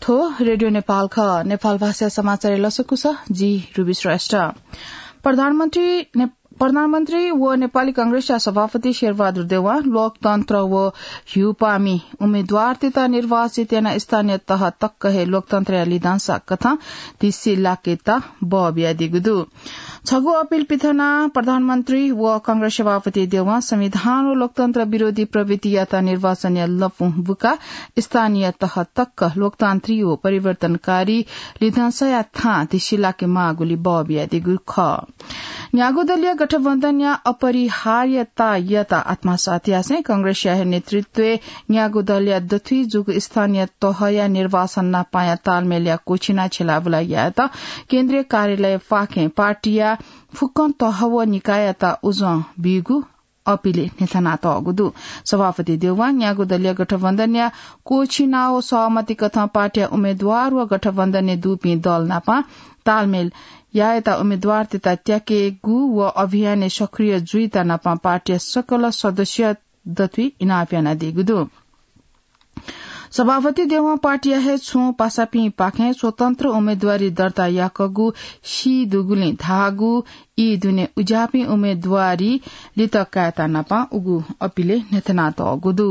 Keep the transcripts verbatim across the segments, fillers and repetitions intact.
थ्व रेडियो नेपाल खः। नेपाल भाषा समाचार लसकुस, जि रुबी श्रेष्ठ। प्रधानमन्त्री ने-, प्रधानमन्त्री व नेपाली कांग्रेसया सभापति शेरबहादुर देउवां लोकतन्त्र व ह्युपामि उम्मेद्वारतय्त निर्वाचित यानाः स्थानीय तह तक हे लोकतन्त्रया लिधंसा कथं तिस्सि लाकेत बः बियादीगु दु। छगू अपिल पिथनाः प्रधानमन्त्री व कांग्रेस सभापति देउवां संविधान व लोकतन्त्र विरोधी प्रवृत्तियात निर्वाचनया लँपु बुकाः स्थानीय तह तक लोकतान्त्रिक व परिवर्तनकारी लिधंसाया थां तिस्सि लाके माःगुली बः बियादीगु खः। न्यागू दलीय गठबन्धनया अपरिहार्यतायात आत्मसात यासें कांग्रेसया हे नेतृत्वय् न्यागू दलया दथुइ जूगु स्थानीय तहया निर्वाचन नापांया तालमेलया क्वःछिना छ्यलाबुला यायेत केन्द्रीय कार्यालय पाखें पार्टीया फुक्कं तह व निकाययात उजं बीगु अपिलय् न्ह्यथनातःगु दु। सभापति देउवां न्यागू दलीय गठबन्धनया क्वःछिना व सहमति कथं पार्टीया उम्मेद्वार व गठबन्धनय् दुपिं दल नाप तालमेल यायेत उम्मेद्वारतय्त त्याकेगु व अभियानय् सक्रिय जुइत नाप पार्टीया सकल सदस्य दथुइ इनाप यानादीगु दु। सभापति देउवां पार्टीया हे छुं पासापिंपाखें स्वतन्त्र उम्मेद्वारी दर्ता याकूगु सी दुगुलिं धाःगु ई दुने उज्याःपिं उम्मेद्वारी लित कायेत नाप उगु अपिलय् न्ह्यथनातःगु दु।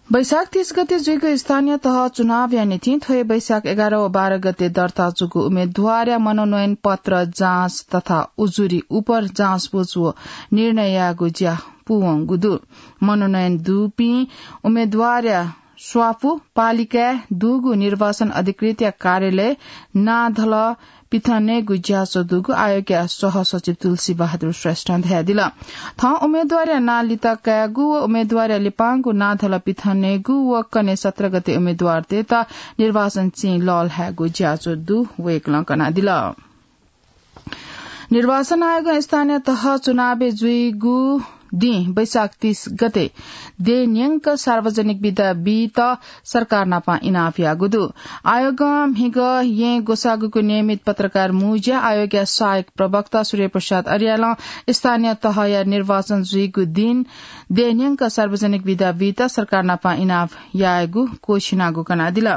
वैशाख तीस गते जुइगु स्थानीय तह चुनावया निंतिं थ्व हे वैशाख एघार व बाह्र गते दर्ता जूगु उम्मेद्वारया मनोनयन पत्र जाँच तथा उजुरी उपर जाँचबुझ व निर्णय यायेगु ज्या पूवंगु दु। मनोनयन दुपिं उम्मेद्वारया स्वापू पालिकाय् दुगु निर्वाचन अधिकृतया कार्यालय नाधल पिथनेगु ज्याझ्वः दुगु आयोगया सहसचिव तुलसी बहादुर श्रेष्ठं धयादिल। थः उम्मेद्वारया नां लित कायेगु व उम्मेद्वारया लिपांगु नाधल पिथनेगु व कन्हय् सत्र गते उम्मेद्वारतय्त निर्वाचन चिं लःल्हायेगु ज्याझ्वः दु वय्कलं कनादिल। निर्वाचन आयोगं स्थानीय तह चुनावय् जुइगु दिं वैशाख तीस गते देय् न्यंक सार्वजनिक बिदा बीत सरकार नाप इनाप याःगु दु। आयोगं म्हिगः येँ ग्वसाःगुगु नियमित पत्रकार मुँज्या आयोगया सहायक प्रवक्ता सूर्य प्रसाद अर्यालं स्थानीय तहया निर्वाचन जुइगु दिं देय् न्यंक सार्वजनिक बिदा बीत सरकार नाप इनाप यायेगु क्वःछिनागु कनादिल।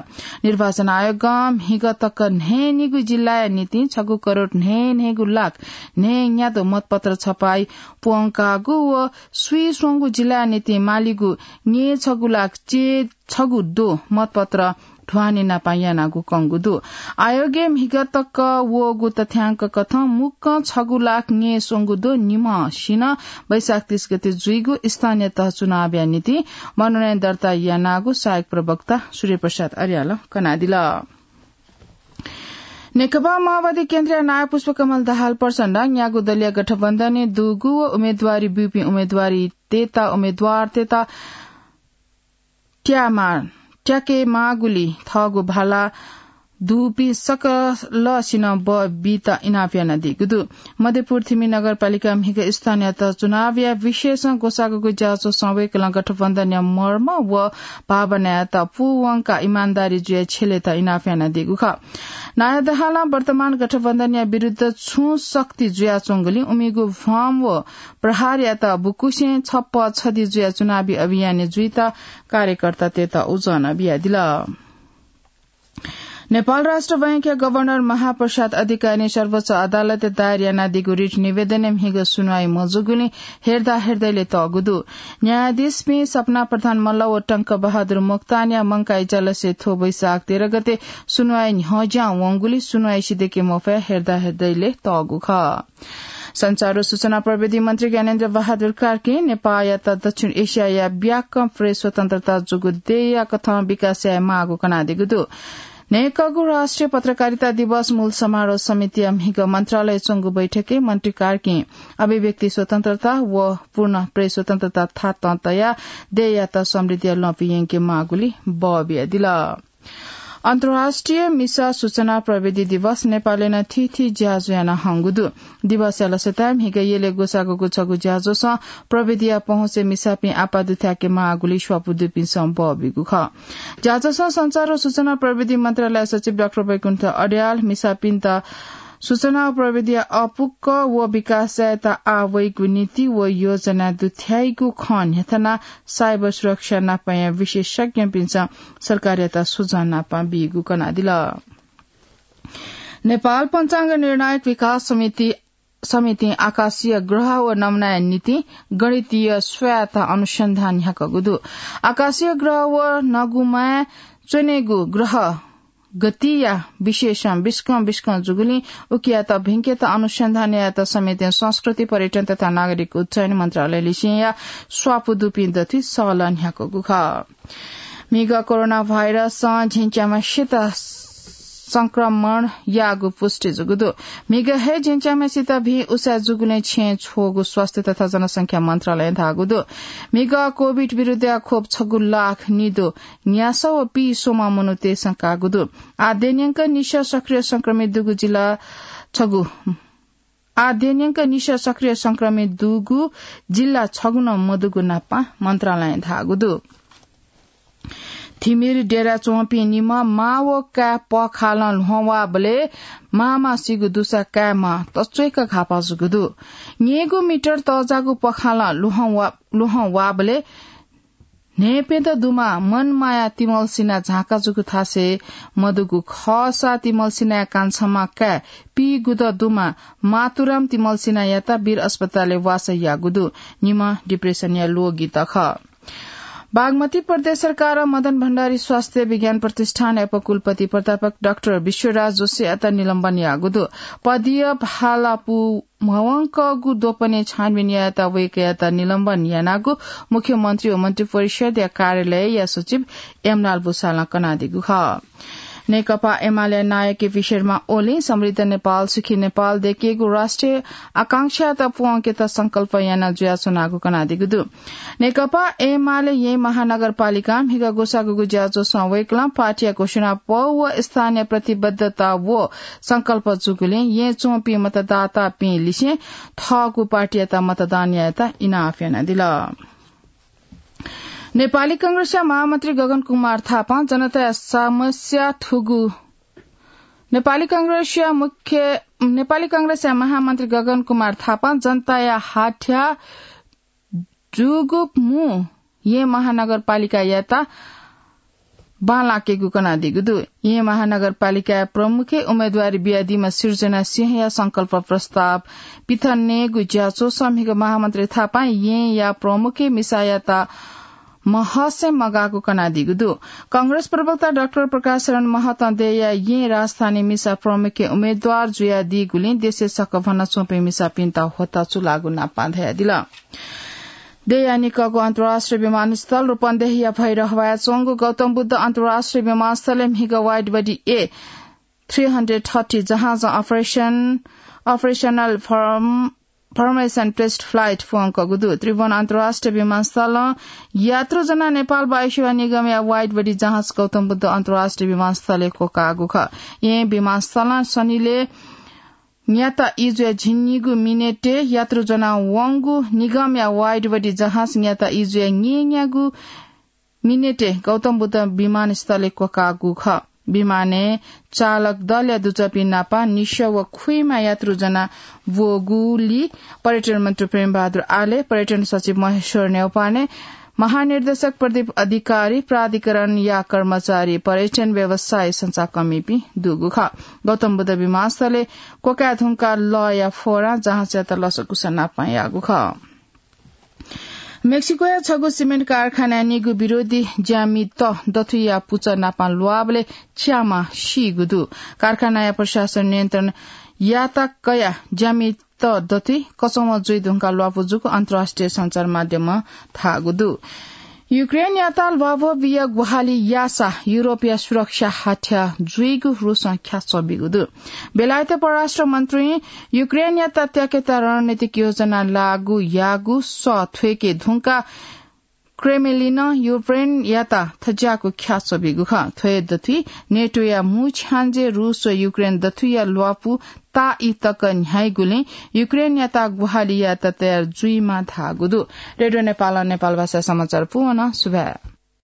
निर्वाचन आयोगं म्हिगः तक न्हय्‌निगू जिल्लाया निंतिं छगू करोड न्हय्‌न्हय्‌गू लाख न्हय्‌न्यादँ मतपत्र छपाई प्वंकागु व स्वीस्वंगू जिल्लाया निंतिं मालीगु न्यय्‌छगू लाख चे छगू द्वः मतपत्र ढ्वानी नाप यानागु कंगु दु। आयोगय् म्हिगः तक वःगु तथ्यांक कथं मुक्कं छगू लाख न्यय्‌स्वंगू द्वः निम्हसिनं वैशाख तीस गते जुइगु स्थानीय तह चुनावया निंतिं मनोनयन दर्ता यानागु सहायक प्रवक्ता सूर्य प्रसाद अर्यालं कनादिल। नेकपा माओवादी केन्द्रया नायः पुष्पकमल दाहाल प्रचण्डं न्यागू दलीय गठबन्धनय् दुगु व उम्मेद्वारी ब्यूपिं उम्मेद्वारीतय्‌त उम्मेद्वारतय्‌त त्यामा-, त्याके माःगुलिं थःगु भाला दुपिं सकलसिनं बः बीत इनाप यानादीगु दु। मध्यपुर थिमि नगरपालिका म्हिगः स्थानीय तह चुनावया विषयसं ग्वसाःगु ज्याझ्वलय् वय्‌कलं गठबन्धनया मर्म व भावनायात पूवंकाः इमानदारी जुयाः छ्यलेत इनाप यानादीगु खः। नायः दाहालं वर्तमान गठबन्धनया विरुद्ध छुं शक्ति जुयाच्वंगुलिं उमिगु भ्रम व प्रहारयात बुकुसें छप्पँ छधि जुयाः चुनावी अभियानय् जुइत कार्यकर्तातय्‌त उजं बियादिल। नेपाल राष्ट्र बैंकया गभर्नर महाप्रसाद अधिकारीं सर्वोच्च अदालतय् दायर यानादीगु रिट निवेदनय् म्हिगः सुनुवाइ मजूगुलिं हेर्दा हेर्दैले तःगु दु। न्यायाधीशपिं सपना प्रधान मल्ल व टंक बहादुर मोक्तानया मंकाः इजलासय् थ्व वैशाख तेह्र गते सुनुवाइ न्ह्यज्यां वंगुलिं सुनुवाइ सिधय्‌के मफयाः हेर्दा हेर्दैले तःगु खः। सञ्चार व सूचना प्रविधि मन्त्री ज्ञानेन्द्र बहादुर कार्कीं नेपाःयात दक्षिण एसियाया ब्याकं प्रेस स्वतन्त्रता जूगु देय्‌या कथं विकास याये माःगु कनादीगु दु। न्हय्‌कःगु राष्ट्रिय पत्रकारिता दिवस मूल समारोह समितिया म्हिगः मन्त्रालयय् च्वंगु बैठकय् मन्त्री कार्कीं अभिव्यक्ति स्वतन्त्रता व पूर्ण प्रेस स्वतन्त्रता थातं तयाः देय्‌यात समृद्धिया लँपुइ यंके माःगुलिं बः बियादिल। अन्तर्राष्ट्रिय मिसा सूचना प्रविधि दिवस नेपालय् नं थीथी ज्याझ्वः याना हंगु दु। दिवसया लसताय् म्हिगः यलय् ग्वसाःगु छगू ज्याझ्वलं प्रविधिया पहुँचय् मिसापिं आपाः दुथ्याके माःगुलिं स्वापू दुपिन्सं बः ब्यूगु खः। ज्याझ्वलं सञ्चार व सूचना प्रविधि मन्त्रालय सचिव डाक्टर वैकुण्ठ अर्याल मिसापिन्त सूचना व प्रविधिया अपुक्क व विकास यायेत आवइगु नीति व योजना दुथ्याइगु खँ न्ह्यथना साइबर सुरक्षा नापया विशेषज्ञपिन्सं सरकारयात सुझाव नापं बीगु कनादिल। नेपाल पञ्चाङ्ग निर्णायक विकास समिति, समितिं आकाशीय ग्रह व नमुनाया निंतिं गणितीय स्वायत्त अनुसन्धान न्ह्याकूगु दु। आकाशीय ग्रह व नगुमाय् च्वनेगु ग्रह गतिया विशेषं बिस्कं बिस्कं जूगुलिं उकियात भिंकेत अनुसन्धान यायेत समितिं संस्कृति, पर्यटन तथा नागरिक उड्डयन मन्त्रालय लिसेंया स्वापू दुपिं दथुइ सहलह न्ह्याकूगु खः। म्हिगः कोरोना भाइरसं झिंच्याम्हेसित संक्रमण याःगु पुष्टि जूगु दु। म्हिगः हे झिंच्याम्हेसित भिं उसाँय् जूगुलिं छेँय् छ्वःगु स्वास्थ्य तथा जनसंख्या मन्त्रालयं धाःगु दु। म्हिगः कोभिड विरुद्धया खोप छगू लाख निदँ न्यासः व पीस्वम्ह मनूतय्सं काःगु दु। आः द्यंन्यंक निसः सक्रिय संक्रमित दुगु जिल्ला छगू, आः द्यंन्यंक निसः सक्रिय संक्रमित दुगु जिल्ला छगू नं मदुगु नापं मन्त्रालयं धाःगु दु। थिमिर डेरा च्वंपिं निम्ह मां व काय् पःखालं ल्हुहं वःबलय् मांम्हसिगु दुसा काय्म्ह तच्वय्क घाःपाः जूगु दु। न्यय्गू मिटर तःजाःगु पःखालं ल्हुहं वा-, ल्हुहं वःबलय् न्हय्प्यत दुम्ह मनमाया तिमल्सिना झांका जूगु थासय् मदुगु खःसा तिमल्सिनाया कान्छाम्ह काय् पीगुदँ दुम्ह मातुराम तिमल्सिनायात वीर अस्पतालय् वासः याःगु दु। निम्ह डिप्रेसनया ल्वगित खः। बागमती प्रदेश सरकारं मदन भण्डारी स्वास्थ्य विज्ञान प्रतिष्ठानया उपकुलपति प्राध्यापक डाक्टर विश्वराज जोशीयात निलम्बन याःगु दु। पदीय भाला पू म्हवंकःगु द्वपनय् छानबिन यायेत वय्कःयात निलम्बन यानागु मुख्यमन्त्री व मन्त्रिपरिषद्या कार्यालयया सचिव एमलाल भुसालं कनादीगु खः। नेकपा एमाले नायः केपी शर्मा ओलीं समृद्ध नेपाल, सुखी नेपाल दय्केगु राष्ट्रिय आकांक्षायात पूवंकेत संकल्प याना जुयाच्वनागु कनादीगु दु। नेकपा एमाले येँ महानगरपालिकां म्हिगः ग्वसाःग्वःगु ज्याझ्वलय् वय्कलं पार्टीया घोषणापौ व स्थानीय प्रतिबद्धता व संकल्प जूगुलिं येँ च्वंपिं मतदातापिं लिसें थःगु पार्टीयात मतदान यायेत इनाप यानादिल। नेपाली कांग्रेसया महामन्त्री गगन कुमार थापां जनताया समस्या थुगु, नेपाली कांग्रेसया मुख्य, नेपाली कांग्रेसया महामन्त्री गगन कुमार थापां जनताया हाथ्या जूगु मू येँ महानगरपालिकायात बांलाकेगु कनादीगु दु। येँ महानगरपालिकाया प्रमुखय् उम्मेदवारी बियादीम्ह सिर्जना सिंहया संकल्प प्रस्ताव पिथनेगु ज्याझ्वलय् म्हिगः महामन्त्री थापां येँया प्रमुखय् मिसायात महसे मगाःगु कनादीगु दु। कांग्रेस प्रवक्ता डाक्टर प्रकाश शरण महतं देय्या येँ राजधानी मिसा प्रमुखय् उम्मेदवार जुयादीगुलिं देशय् सकभनं च्वंपिं मिसापिन्त ह्वःताः चूलाःगु नापं धयादिल। देय्या निकःगु अन्तर्राष्ट्रिय विमानस्थल रूपन्देहीया भैरहवाया च्वंगु गौतम बुद्ध अन्तर्राष्ट्रिय विमानस्थलय् म्हिगः wide body A three hundred thirty जहाजं operation, operational form, formation test flight पूवंकःगु दु। त्रिभुवन अन्तर्राष्ट्रिय विमानस्थलं यात्रु ज्वनाः नेपाल वायुसेवा निगमया wide body जहाज गौतम बुद्ध अन्तर्राष्ट्रिय विमानस्थलय् क्वकाःगु खः। येँ विमानस्थलं शनिलय् न्याता इजुया झिंनिगू मिनेटय् यात्रु ज्वनाः वंगु निगमया wide body जहाज न्याता इजुया न्येन्यागू मिनेटय् गौतम बुद्ध विमानस्थलय् क्वकाःगु खः। विमानय् चालक दलया दुजःपिं नापं निसः व खुइमा यात्रु ज्वनाः ब्वःगुलिं पर्यटन मन्त्री प्रेमबहादुर आले, पर्यटन सचिव महेश्वर न्यौपाने, महानिर्देशक प्रदीप अधिकारी, प्राधिकरणया कर्मचारी, पर्यटन व्यवसायी संचाकर्मीपिं दुगु खः। गौतम बुद्ध विमानस्थलय् क्वकाये धुंकाः लःया फोरां जहाजयात लसकुस नापं याःगु खः। मेक्सिकोया छगू सिमेन्ट कारखानाय् निगू विरोधी ज्यामित दथुइया पुचः नापं ल्वाःबलय् च्याम्ह सीगु दु। कारखानाया प्रशासन नियन्त्रण यात कयाः ज्यामित दथुइ कचंम्ह जुइ धुंकाः ल्वापु जूगु अन्तर्राष्ट्रिय सञ्चार माध्यमं धाःगु दु। युक्रेनयात ल्वाभः बिया ग्वाहालि याःसा युरोपया सुरक्षा हाथ्या जुइगु रूसं ख्याच्वः बीगु दु। बेलायत परराष्ट्र मन्त्रीं युक्रेनयात त्याकेत रणनीतिक योजना लागू याःगु सः थ्वय्के धुंकाः क्रेमलिनं युक्रेनयात थज्याःगु ख्याच्वः बीगु खः। थ्वय् दथुइ नेटोया मू छ्याञ्जे रूस व युक्रेन दथुइया ल्वापु ताःई तक न्ह्याइगुलिं युक्रेनयात ग्वाहालि यायेत तयार जुइमाः धाःगु दु। रेडियो नेपालं नेपाल भाषा समाचार पूवन सुभाय्।